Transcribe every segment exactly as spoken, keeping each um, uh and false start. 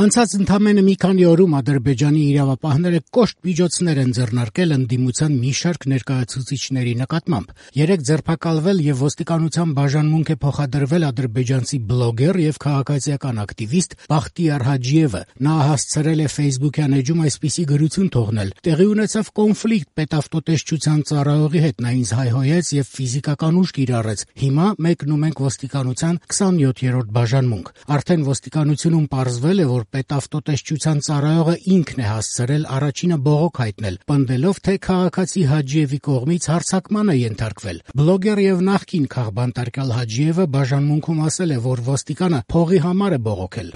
Անցած ընդամենը մի քանի օրում Ադրբեջանի իրավապահները կոշտ միջոցներ են ձեռնարկել ընդդիմության մի շարք ներկայացուցիչների նկատմամբ։ Երեկ ձերբակալվել եւ ոստիկանության բաժանմունք է փոխադրվել ադրբեջանցի բլոգեր եւ քաղաքացիական ակտիվիստ Բախտիար Հաջիևը։ Նա հասցրել է Facebook-յան էջում այսպիսի գրություն թողնել. «Տեղի ունեցավ կոնֆլիկտ պետավտոտեսչության ծառայողի հետ, նա ինձ հայհոյեց եւ ֆիզիկական ուժ կիրառեց։ Հիմա մեկն ու մենք ոստիկանության քսանյոթերորդ բաժանմունք։ Արդեն ոստիկանությունում պարզվել է, որ պետավտոտեսչության ծառայողը ինքն է հասցրել առաջինը բողոք հայտնել, պնդելով, թե քաղաքացի Հաջիևի կողմից հարձակման է ենթարկվել։ Բլոգեր եւ նախկին քաղբանտարկյալ Հաջիևը բաժանմունքում ասել է, որ ոստիկանը փողի համար է բողոքել։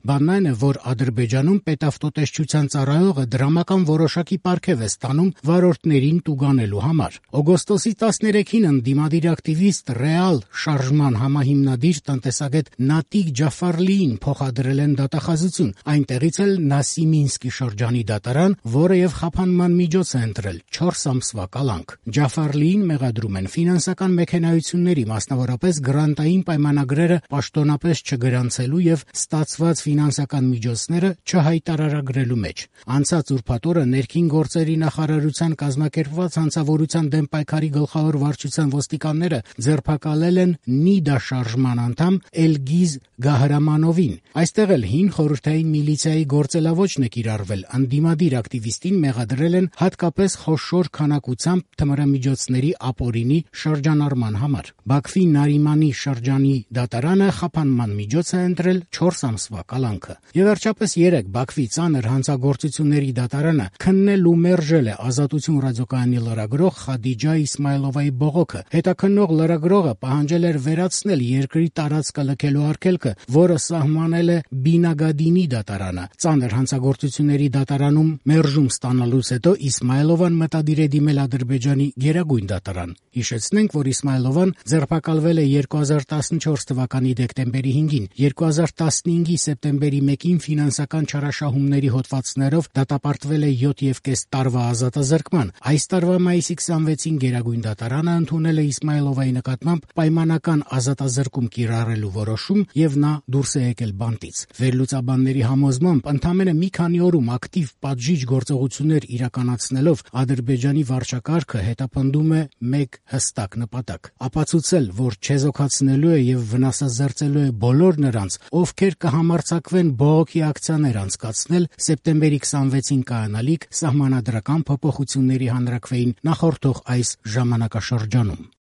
Բանն այն է, որ Ադրբեջանում պետավտոտեսչության ծառայողը դրամական որոշակի պարգև է ստանում վարորդներին տուգանելու համար։ Օգոստոսի տասներեքին ընդդիմադիր ակտիվիստ Ռեալ շարժման համահիմնադիր տնտեսագետ Նատիկ Ջաֆարլիին փոխադրել են դատախազություն, այնտեղից էլ Նասիմինսկի շրջանի դատարան, որը եւ խափանման միջոց է ընտրել չորս ամսվա կալանք։ Ջաֆարլիին մեղադրում են ֆինանսական մեքենայությունների, մասնավորապես գրանտային պայմանագրերը պաշտոնապես չգրանցելու եւ ստացված ֆինանսական միջոցները չհայտարարագրելու մեջ։ Անցած ուրբաթ օրը ներքին գործերի նախարարության կազմակերպված հանցավորության դեմ պայքարի գլխավոր վարչության ոստիկանները ձերբակալել են Նիդա շարժման անդամ Էլգիզ Գահրամանովին։ Այստեղ էլ հին խորհրդային միլիցիայի գործելավոճն է կիրառվել։ Ընդդիմադիր ակտիվիստին մեղադրել են հատկապես խոշոր քանակությամբ թմրամիջոցների ապօրինի շրջանառման համար։ Բաքվի Նարիմանի շրջանի դատարանը խափանման միջոց է ընտրել չորս ամսվա կալանքը։ Եվ վերջապես երեկ Բաքվի ծանր հանցագործությունների դատարանը քննել ու մերժել է Ազատություն ռադիոկայանի լրագրող Խադիջա Իսմայլովայի բողոքը։ Հետաքննող լրագրողը պահանջել էր վերացնել երկրի տարածքը լքելու արգելքը, որը սահմանել է Բինագադինի դատարանը։ Ծանր հանցագործությունների դատարանում մերժում ստանալուց հետո Իսմայլովան մտադիր է դիմել Ադրբեջանի գերագույն դատարան։ Հիշեցնենք, որ Իսմայլովան ձերբակալվել է երկու հազար տասնչորս թվականի դեկտեմբերի հինգին, երկու հազար տասնհինգի սեպտեմբերի մեկին ֆինանսական չարաշահումների հոդվածներով դատապարտվել է յոթ եւ կես տարվա ազատազրկման։ Այս տարվա մայիսի քսանվեցին գերագույն դատարանը ընդունել է Իսմայլովայի նկատմամբ պայմանական ազատազրկում կիրառելու որոշում եւ նա դուրս է եկել բանտից։ Վերլուծաբանների համոզմամբ ընդամենը մի քանի օրում ակտիվ պատժիչ գործողություններ իրականացնելով Ադրբեջանի վարչակարգը հետապնդում է մեկ հստակ նպատակ՝ ապացուցել, որ չեզոքացնելու է եւ վնասազերծելու է բոլոր նրանց, ովքեր կհամարձակվեն բողոքի ակցիաներ անցկացնել սեպտեմբերի քսանվեցին կայանալիք սահմանադրական փոփոխությունների հանրաքվեին նախորդող այս ժամանակաշրջանում։